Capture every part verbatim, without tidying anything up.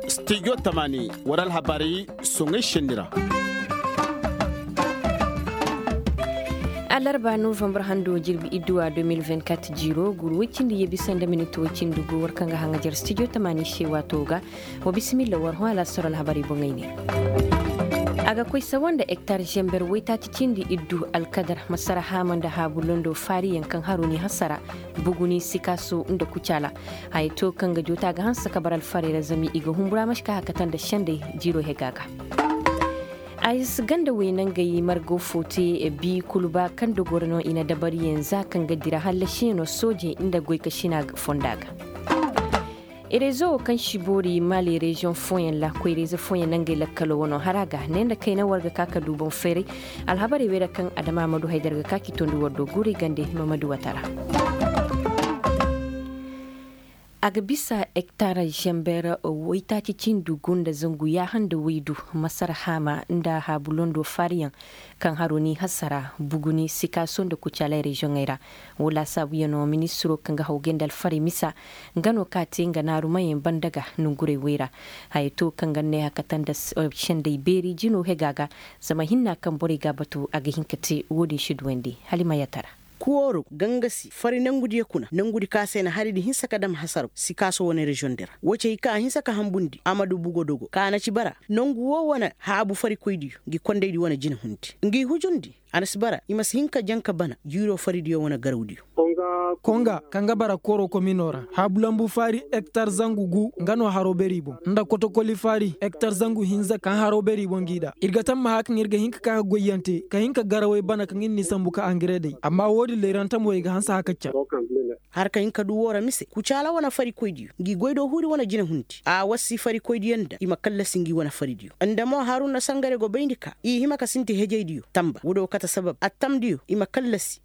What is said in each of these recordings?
Stijo tamaani war alhabaari soŋay senni ra. Alarba novambar hando jirbi idduwa deux mille vingt-quatre jiiro guru woy cindi ye bisa nda minit woy cindi gu war kaŋ ga haŋajar stijo tamaani se waato ga. Wa bisimilla war hõ alaasar alhabaari boŋey ne. A ga koy sawa nda hektar zember woytaaci cindi iddu alkadar masara haama nda haabu londo faariyaŋ kaŋ haro ni hasara buguni sikaaso nda kucaala. Haya to kaŋ ga joota ga hanse ka bar alfarey ra zama i ga humbura ma si ka hakata nda sendey jiiro hega ga. Ayes ganda wey nangey margo fo te bi kuluba kaŋ dogoro no i na dabariyaŋ za kaŋ ga dira hallasiyaŋo sooje nda goykasina fonda ga. Rezo wo kaŋ si boori maali reziyoŋ fooyaŋ ra koyra-ize fooyaŋ nangey lakkalo wano hara ga ne nda kayna war ga ka ka du boŋ feeray. Alhabarey wey ra kaŋ adama ma du haydar ga ka k'i tondi war do guuri gande mamadu wata ra. A ga bisa hektar zember waytaaci cindi gu nda zangu yaaha nda waydu masar haama nda haabu londo faariyaŋ kaŋ haro ni hasara buguni sikaaso nda kucaalay reziyoŋey ra. Wo laasaabuyaŋo ministiro kaŋ ga hawgay nda alfarey misa nga no ka te nga naarumayaŋ banda ga nongurey wey ra. Haya to kaŋ ga ne hakata nda sendey beeri jino hega ga. Zama hinna kaŋ borey ga a batu a ga hin ka te wo-din si duwandi hala i ma yatara. Kuwooru gangasi fari nangudi ye kuna nangudi ka se na hari di hinsa ka dam hasaraw sikaaso wane reziyoŋ di ra wo ci hay kaŋ a hinsa ka hambundi a ma du bugo dogo ka na ci bara nangu wo wane haabu farikoydiyo ngi kondaydi wane jinahundi ngi hujundi a na si bara i ma si hin ka jaŋ ka bana jiiro faridiyo wane garawdiyo. Konga kaŋ ga bara koro komino ra haabu lambu faari hektar zangu gu nga no haro beri boŋ nda kotokoli faari hektar zangu hinza kaŋ haro beri boŋ g'i da ir ga tamma haka kaŋ ir ga hin ka ka ga goyyaŋ te ka hin ka garawey bana kaŋ ir n'i sambu ka angare day amma wo-din layrantamo i ga hanse haka caŋ. Har ka hin ka du woo ra mise kucaala wane farikoydiyo ngi goydoo huuri wane jinahundi a wassi farikoydiyo nda i ma kallasi ngi wane faridiyo nda mo haruna sangare go bayndi ka i hima ka sinti hejaydiyo tamba woodiyo kate sabab attamdiyo i ma kallasi.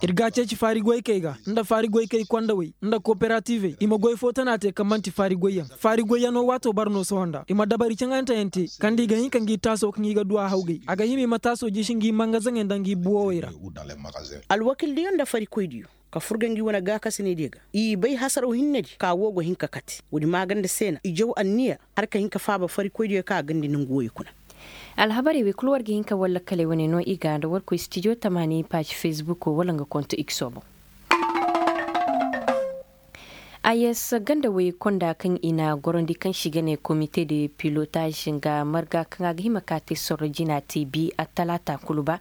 Ir ga a ceeci faari goykey ga nda faari goykey kondawey nda kooperativey i ma goy foo tana te kaŋ man'ti faari goyyaŋ faari goyyaŋo waatoo bara no sohõ nda i ma dabari caŋanteyaŋ te kaŋ nda i ga hin ka ngi taasoo kaŋ i ga du a hawgay a ga hima i ma taasoo jiisi ngi mangazaŋey nda ngi buwowey ra. Alwakildiyo nda farikoydiyo ka furga ngi wane gaakasinaydiyo ga i bay hasaraw hinnedi ka woo go hin ka kate woodi maaganda se na i jaw anniya har ka hin ka faaba farikoydiyo kaŋ a gandi nangu wooyo kuna. Alhabarey wey kul war ga hin ka war lakkaley wane no i ga nda war koy stijo tamaani paazi fesbuko wala nga konto ikso boŋ. Ayes ganda wey konda kaŋ i na gorandi kaŋ si ga ne komite de pilotaaz nga marga kaŋ a ga hima ka te sorro jina te bi attalaata kulu ba.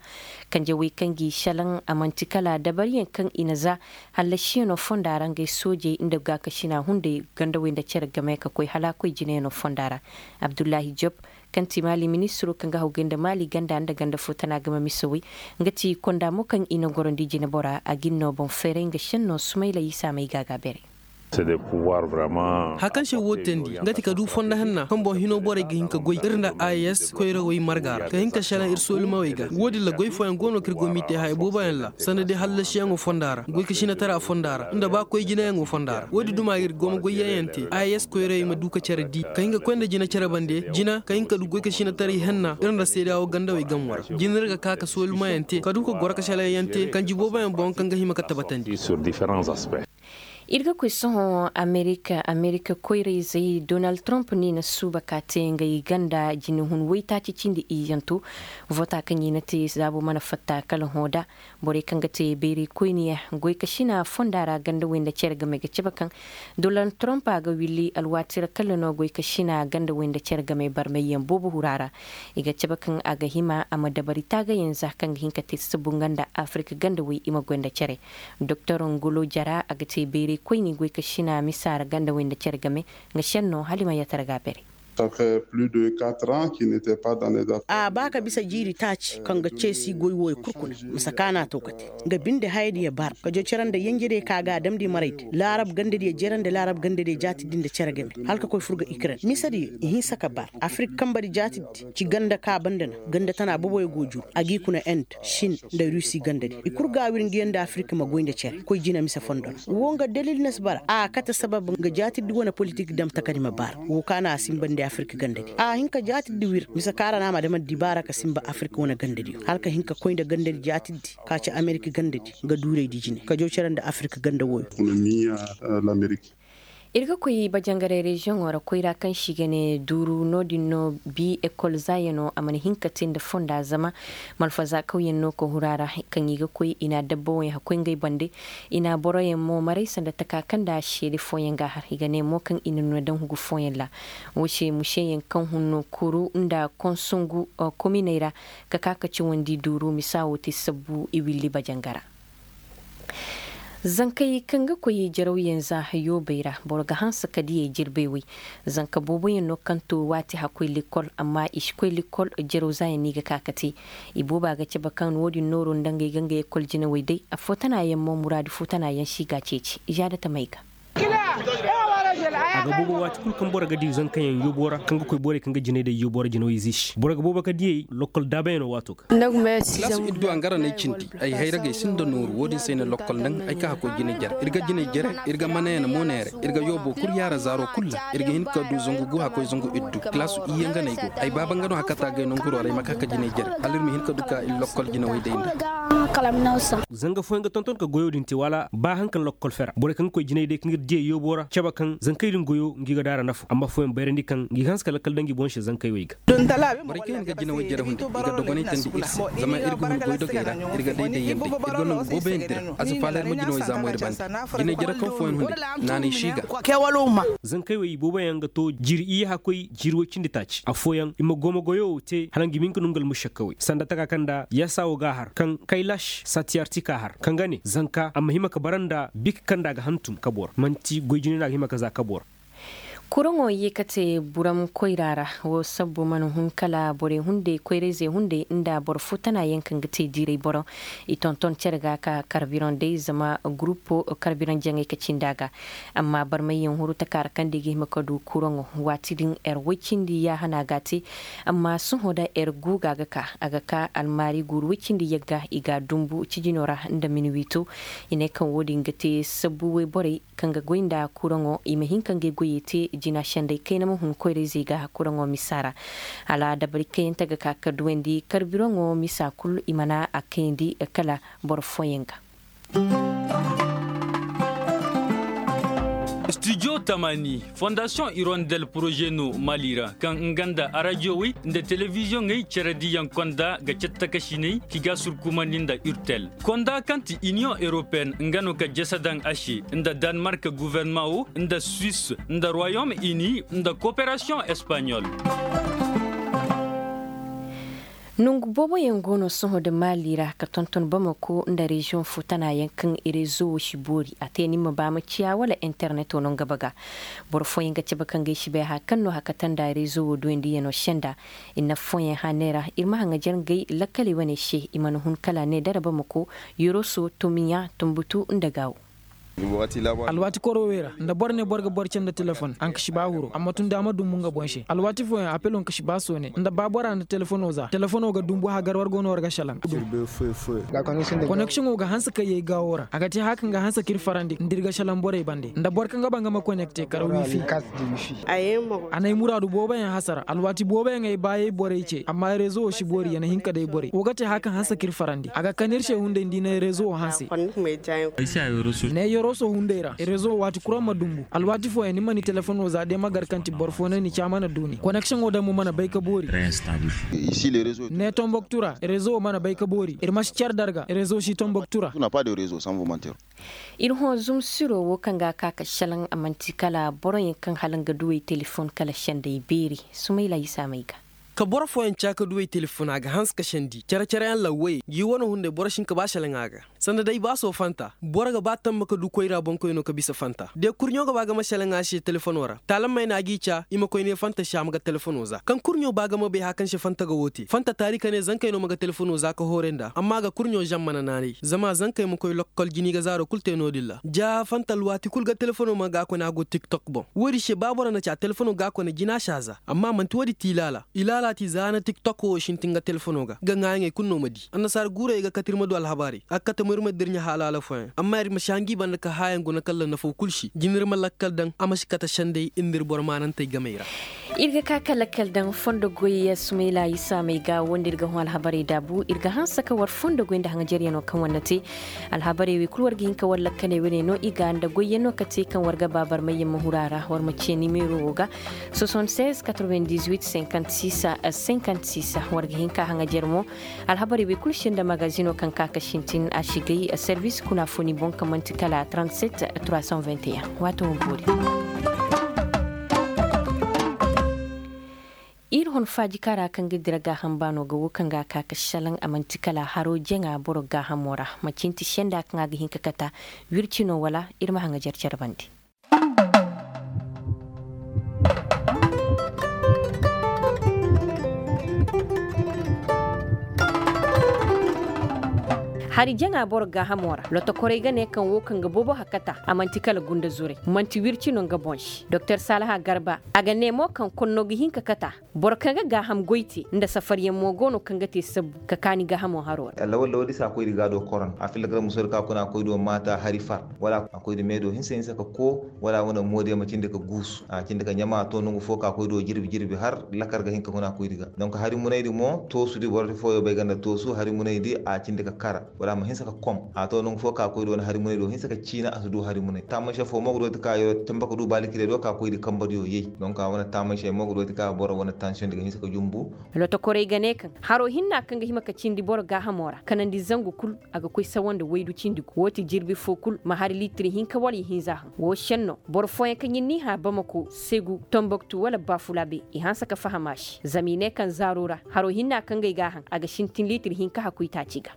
Kanje wey kaŋ g'i šelaŋ a man'ti kala dabariyaŋ kaŋ i na za hallasiyaŋo fonda ra ngey soojey nda gaakasina hunday ganda wey nda cere game ka koy hala a koy jinayaŋo fonda ra. Abdullahi job kaŋ ti maali ministiro kaŋ ga hawgay nda maali ganda nda ganda fo tana game misawey nga ti konda mo kaŋ i na gorandi jinebora a ga ni no boŋ feeray nga šenno sumayla isa may ga a ga a beeray. Haya kaŋ se woo teendi nga ti ka du fondo hanna kaŋ boŋ hinoo borey ga hin ka goy ir nda a s koyrawey marga ra ka hin ka šelaŋ ir soolumawey ga woo din ra goy fooyaŋ go no kaŋ ir go m'i te haya booboyaŋ ra sanda day hallasiyaŋo fonda ra goy ka sinatara fonda ra nda ba koy jinayaŋo fonda ra woo din duma ir go ma goyyaŋ yaŋ te a s koyrawey ma du ka cere di ka hin ka koy nda jina cere bande jina ka hin ka du goy ka sinataray henna ir nda seedeya woo gandawey gammo ra jina ir ga ka ka soolumayaŋ te ka du ka goro ka selayaŋ te kanji booboyaŋ boŋ kaŋ ga hima ka tabatandi. Ir ga koy sohõ amerika amerika koyra-izey donald trump no i na suuba ka te ngey ganda jinehun waytaaci cindi iyyanto voota kaŋ i na te zaabo mana fatta kala hõ da borey kaŋ ga te bayray koyne goy ka sina fonda ra ganda wey nda cere game ga cabe kaŋ donald trump a ga willi alwaati ra kala no goy ka sina ganda wey nda cere game barmayyaŋ boobo hura ra. I ga cabe kaŋ a ga hima a ma dabari taagayaŋ za kaŋ ga hin ka te sabu nga nda afirka ganda wey i ma goy nda cere. Doktor ngolo jara a ga te bayray koyne goy ka sina misa ra ganda wey nda cere game nga senno hala i ma yatara ga a beeray. A ba ka bisa jiiri taaci kaŋ ga ceesi goy wooyo kul kuna misa kaana to ka te nga binde hayadiyo bar ka jo cere nda yenjediyo ka ga a damndi maraydi laarab gandadiyo jere nda laarab gandadiyo jaatiddi nda cere game hala ka koy fur ga ikren misediyo i hinsa ka bar afirik kambedi jaatiddi ci ganda ka banda na ganda tana boboyo go juru a g'i kuna end sin nda rusi gandadi i kul ga a wir ngiyaŋ nda afirik ma goy nda cere koy jina mise fondo ra woo nga dalil na si bara a kate sabab nga jaatiddi wane politik dam takadi ma bara woo kaana a sinbandi. Afirka gandadi a hin ka jaatiddi wir mise kaŋ ra no a ma dama dibaara ka sinba afirka wane gandadiyo hala ka hin ka koy nda gandadi jaatiddi ka ci amerika gandadi, nga duuraydi jine ka jaw care nda afirka ganda wooyo. Ir ga koy bajangaray reziyoŋo ra koyra kaŋ se i ga ne duuru no-din no bi ekol zaayano a mana hin ka te nda fonda zama malfaza kawyaŋ no ka huru a ra. Kaŋ i ga koy i na dabba woyaŋ hakkoy ngey bande. I na boroyaŋ mo maray sanda taka kaŋ nda seede fooyaŋ ga a har i ga ne mo kaŋ i na nuna daŋ hugu fooyaŋ ra. Wo se museyaŋ kaŋ hun no kuru nda konsungu kominey ra ka ka ka cawandi duuru misa wo te sabbu i willi bajanga ra. Zankey kaŋ ga koy jarawyaŋ za yoobey ra boro ga hanse ka diyey jirbey wey. Zanka booboyaŋ no kaŋ to waati hakkoy likol amma i si koy likol. Jaraw zaayaŋ no i ga ka ka te. I booba ga cabe kaŋ wo-din nooro nda ngey ga ngey ekol jinawey day affoo tana yaŋ mo muraadu foo tana yaŋ si ga a ceeci i za da tamey ga. A ga boobo waati kulu kaŋ boro ga di zankayaŋ yoobo ra kaŋ ga koy borey kaŋ ga jinay day yoobo ra jinawey z'i se boro ga boobo ka diyey lokkol daabayaŋo waato ga. Kalaasi iddu a nga ra no ay cindi ay hayragey sinda nooru wo-din se ay na lokkol naŋ ay ka hakkoy jinay jere ir ga jinay jere. Ir ga manayaŋ mo neere ir ga yoobo kul yaara zaaro kul ra. Ir ga hin ka du zangu gu hakkoy zangu iddu kalaasu iyye nga no ay go ay baaba nga no hakata gay nanguro ra ay ma ka ka jinay jere hala ir ma hin ka du ka ir lokkol jinawey day nda. Zanga fooyaŋ ga tonton ka goyo din te wala ba haŋ kaŋ lokkol fera borey kaŋ ga koy jinay day kaŋ ir diyey yoobo ra cabe kaŋ zankey din goyo ngi ga daara nafa amma fooyaŋ bayrandi kaŋ ngi ga hanse ka lakkal daŋ ngi boŋ se zankey wey ga. Borey kaŋ yaŋ ga jinawey jere hunday i ga dogonay tandi ir se. Zama ir ga hun goydogey ra ir ga dayday yaŋ day ir ga nongu booboyaŋ dira. A si faala ir ma jinawey zaamo ir bande. Jinay jere kaŋ fooyaŋ hunday naanay si ga. Zankey wey booboyaŋ ga to jiri iyye hakkoy jiri woy cindi taaci affooyaŋ i ma gooma goyo te hala ngi ma hin ka nongu almušakkawey sanda taka kaŋ nda yasa wo ga a har kaŋ kaylaš satiyartika har kaŋ ga ne zanka a ma hima ka bara nda bik kaŋ nda a ga hantum kabo ra man'ti goy jine no a ga hima ka za kabo ra. Kuraŋo ye ka te buram koyra ra. Wo sabbu mana hun kala borey hunday koyrayzey hunday nda boro foo tana yaŋ kaŋ ga te diiray boro. I tonton cere ga ka karbiroŋ day zama gurupo karbiroŋ jaŋay ka cindi a ga. Amma barmayyaŋ huru taka ra kaŋ da i ga hima ka du kuraŋo waati din er woy cindi yaahana ga a te. Amma sohõ da er guuga ga ka a ga ka almaari guuru woy cindi yagga i ga a dumbu cijino ra nda minwiito. I ne kaŋ wo-din ga te sabbu woy borey kaŋ ga goy nda kuraŋo i ma hin ka ngey goyey te jina senday kayna ma hun koyrayzey ga kuraŋo misa ra. Hala dabari kayante ga ka ka duwandi karbiraŋo misa kul i mana a kayandi kala boro fooyaŋ ga. Studio tamani fondasiyoŋ irondel poroze no mali ra kaŋ nga nda arajowey nda telebiziyoŋey cere diyaŋ konda ga cattakasiney ki ga surkumandi nda urtel. Konda kaŋ ti iniyoŋ europeyen nga no ka jese daŋ a se nda danmark guvernaman wo nda suwis nda royom ini nda koperasiyoŋ espaɲol. Nongu booboyaŋ go no sohõ nda mali ra ka tonton bamako nda reziyoŋ foo tana yaŋ kaŋ rezo wo si boori a te ni ma ba ma ciya wala interneto no nga baga. Boro fooyaŋ ga cabe kaŋ ga ay si bay haya kaŋ no haya kate nda rezo wo duwandiyano senda. I na affooyaŋ hane ra ir ma haŋajer ngey lakkaley wane se i mana hun kala ne dara bamako, yoroso, tumiya, tumbutu nda gaawo. Alwaati koro wey ra nda boro ne boro ga boro cere nda telefon a nka si ba huro amma tun da a ma dumbu nga boŋ se alwaati fooyaŋ apelo nka si ba soone nda ba bora nda telefono za telefono ga dumbu hagar war go no war ga salaŋ. Koneksiyoŋo ga hanse kaŋ yay gaawo ra a ga te haya kaŋ ga hanse ka ir farandi nda ir ga salaŋ borey bande nda boro kaŋ ga ba nga ma konekte kara wifi. A na ay muraadu booboyaŋ hasara alwaati booboyaŋ ay baayey borey ce amma rezo wo si boori ya na hin ka day borey wo ga te haya kaŋ hanse ka ir farandi a ga kan ir se hunday nda i na rezo wo hanse. Ne yoroso hunday ra rezo wo waati kuraŋ ma dumbu alwaati fooyaŋ ni ma ni telefono za day ma gar kaŋ ti boro fo na ni ca mana du ni koneksiyoŋo day mo mana bay ka boori. Ne tomboktu ra rezo wo mana bay ka boori ir ma si care darga rezo si tomboktu ra. Ir hõ zumsiro wo kaŋ ga a ka ka šelaŋ a man'ti kala boroyaŋ kaŋ hala nga duwey telefon kala sendey beeri. Sumayla isa may ga. Ka boro fooyaŋ ca ka duwey telefon a ga hanse ka sendi care careyaŋ lawwayey ngi wane hunday boro si hin ka ba šelaŋ a ga. Sanda day ba sohõ fanta boro ga ba tamma ka du koyra boŋkoyno ka bisa fanta de kurɲo ga ba ga ma šelaŋ a se telefono ra taalammey no a g'i ca i ma koy ne fanta se a ma ga telefono za kaŋ kurɲo ba ga ma bay haya kaŋ se fanta ga wo te fanta taari ka ne zankey no ma ga telefono za ka hooray nd'a amma a ga kurɲo žan mana naanay zama zankey ma koy lokkol jini ga zaaro kul te no-din ra ja fanta alwaati kul ga telefono ma ga a kone a go tiktok boŋ wo-din se ba boro na ca telefono ga a kone jina si a za amma man'ti wo-din ti ilaala ilaala ti za na tiktok wo sintin ga telefono ga ga ŋaayaŋey kul no ma di annasaara guurey ga kate ir ma du alhabaarey a ga kate mo ir ma di ir ɲa haalaala fooyaŋ amma ir ma si hangi banda ka haayaŋ guna kalla nafo kul se jina ir ma lakkal daŋ a ma si kate sendey ir nda ir boro maanantey gamey ra. Ir ga ka ka lakkal daŋ fondo goy sumayla isa may ga wo nda ir ga hõ alhabarey daabu ir ga hanse ka war fondo goy nda haŋajaryanoo kaŋ war na te. Alhabarey wey kul war ga hin ka war lakkaley wane no i ga nda goyyanoo ka te kaŋ war ga ba barmayyaŋ ma huru a ra war ma ce nimeero wo ga. Soixante-seize quatre-vingt-dix-huit cinquante-six cinquante-six war ga hin ka haŋajar mo. Alhabarey wey kul se nda magazino kaŋ ka ka sintin a si gay servis kuna fo ni boŋ kaŋ man'ti kala trente-sept trois cent vingt et un. Waato wo boori. Ir hon faaji kaŋ ra kaŋ ga dira gaaham baano ga wo kaŋ ga a ka ka salaŋ a man'ti kala haro jaŋa boro gaahamo ra. Macinti senda kaŋ a ga hin ka kata wirci no wala ir ma haŋajar care bande. Hari jaŋa boro gaahamo ra lotokorey ga ne kaŋ wo kaŋ ga boobo hakata a man'ti kala gunda zurey man'ti wirci no nga boŋ se doktor salaha garba. A ga ne mo kaŋ konno ga hin ka kata boro kaŋ ga gaaham goy te nda safaryaŋ mo go no kaŋ ga te sabbu ka kaani gaahamo haro ra. Lawal lawal di se a koy di ga a do koron a filla gara musoy di kaŋ a kuna a koy do maata hari far wala a koy di meedo hinsa hinsa ka koo wala a wane moodiyaŋ ma cindi ka guusu a cindi ka ɲama a to nangu fo kaŋ a koy do jirbi jirbi har lakar ga hin ka kuna a koy di ga. Donk hari munay di mo toosu di boro fooyo bay ga nda toosu hari munay di a cindi ka kara wala a ma hinsa ka kom a to nangu fo kaŋ a koy di wane hari munay do hinsa ka ciina a si du hari munay taamay se fo mo ga do ti kaŋ a yero tamba ka du baalikirey do kaŋ a koy di kamba diyo yay. Donk a wane taamay se mo ga do ti kaŋ a boro wane tansiyoŋ di ga hinsa ka jumbu. Lotokorey ga ne kaŋ haro hinna kaŋ ga hima ka cindi boro gaahamo ra kanandi zangu kul a ga koy sawa nda waydu cindi gu woo ti jirbi foo kul ma hari liitir hinka wala ihinza haŋ woo senno boro fooyaŋ kaŋ ir n'i hã bamako segu tomboktu wala bafulabe i hanse ka faham a se zama i ne kaŋ zaaro ra haro hinna kaŋ ga ay g'a haŋ a ga sintin liitir hinka hakuytaaci ga.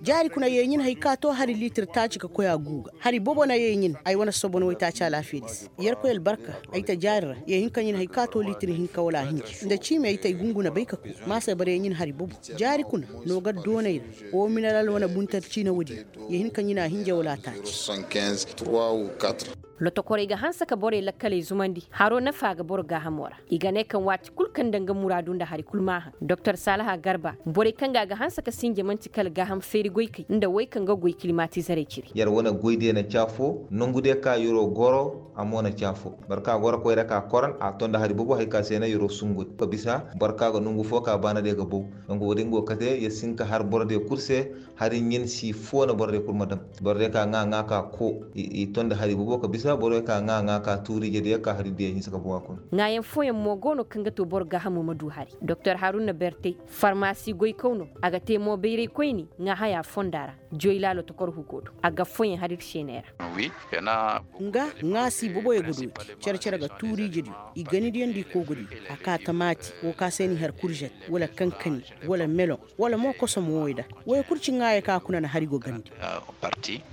Jaari kuna yee ɲin hay ka too hari liitir taaci ka koy a guu ga hari bobo na yee ɲin ay wane sobo na waytaaci alaafiyadi se. Yerkoy albarka ay ta jaari ra yee hin ka ɲin hay ka too liitir hinka wala a hinja nda ciimi ay ta ay gunguna bay ka koy ma se boro yee ɲin hari bobo. Jaari kuna no ga doonay ra woo minalal wane buntar ciina woodi yee hin ka ɲin a hinja wala a taaci. Lotokorey ga hanse ka borey lakkaley zumandi haro nafa ga boro gaahamo ra. I ga ne kaŋ waati kul kaŋ nda nga muraadu nda hari kul maahaŋ doktor saalaha garba borey kaŋ ga a ga hanse ka sinja man'ti kala gaaham feeri goykey nda wey kaŋ ga goy kilimatizarey ciri. Yer wane goydiyo na caafo nongudiyo ka yeroo goro a mo na caafo. Boro kaŋ a goro koyra ka koran a to nda hari bobo hari ka se na yeroo sunguy ka bisa boro kaŋ a ga nongu fo ka baanadiyo ga bow. Donk woodin go kate yer si hin ka har borodiyo kul se. Hari ɲin si foo na borodiyo kul ma dam. Borodiyo ka ŋaa ŋaa ka koo i to nda hari bobo ka bisa borodiyo ka ŋaa ŋaa ka tuuriijediyo ka hari diyo hinsa ka bow a kuna. Ŋaayaŋ fooyaŋ mo go no kaŋ ga too boro gaahamo ma du hari doktor haruna bertey farmaasi goykaw no. A ga te mo bayray koyni ŋaa haya fonda ra. Joyla lotokor hugo do a ga fooyaŋ hari ir seeney ra. Nga ŋaa si boboyo ga dooti. Cere cere ga tuuriijediyo i ganidiyo nda i koogodiyo. A kaa tamaati woo ka se n'i har kurzet wala kankani wala meloŋ wala mo kosom woy da woy kul ci ŋaayo ka kuna na hari go gandi.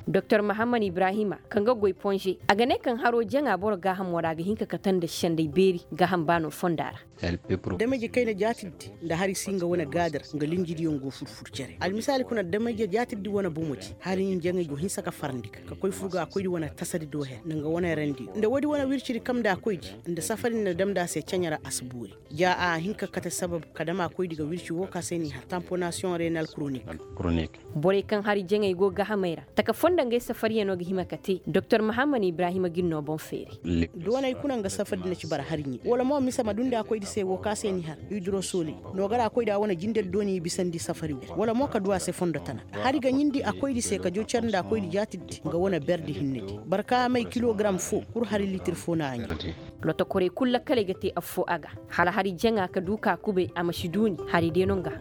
Doktor mahammad ibrahima kaŋ ga goy ponze a ga ne kaŋ haro jaŋa boro gaahamo ra a ga hin ka kate nda senday beeri gaaham baano fonda ra. Dameje kayna jaatiddi nda hari si nga wane gaadar nga linjidiyoŋ go fur-fur cere almisaali kuna dameje jaatiddi wane bomodi hari ɲin jaŋay go hinsa ka farandi ga ka koy fur ga a koydi wane tasadi do her nda nga wane randi nda woodi wane wircidi kam nda a koydi nda safari nda dam nda a se caɲa ra a si boori. Ja a hin ka kate sabab ka dam a koydi ga wirci woo ka se n'i har tamponasiyoŋ renal koronik. Borey kaŋ hari jaŋey go gahamey ra taka foo nda ngey safariyano ga hima ka te doktor mahammad ibrahima ga ir no boŋ feeri. Doonay kuna nga safari na ci bara hari ɲe wala mo mise ma dundi a koydi se woo ka se n'i har idrosoli. No ga ra koydi a wane jindedi dooni i bisandi safari woo wala mo ka du a se fondo tana. Hari ga ɲindi a koydi se ka joo care nda a koydi jaatidi nga wane berdi hinnedi barka may kilogaram foo kul hari liitir foo na a ɲe. Lotokorey kul lakkaley ga te affoo a ga hala hari jaŋa ka du ka kubay a ma si duuni hari day no nga.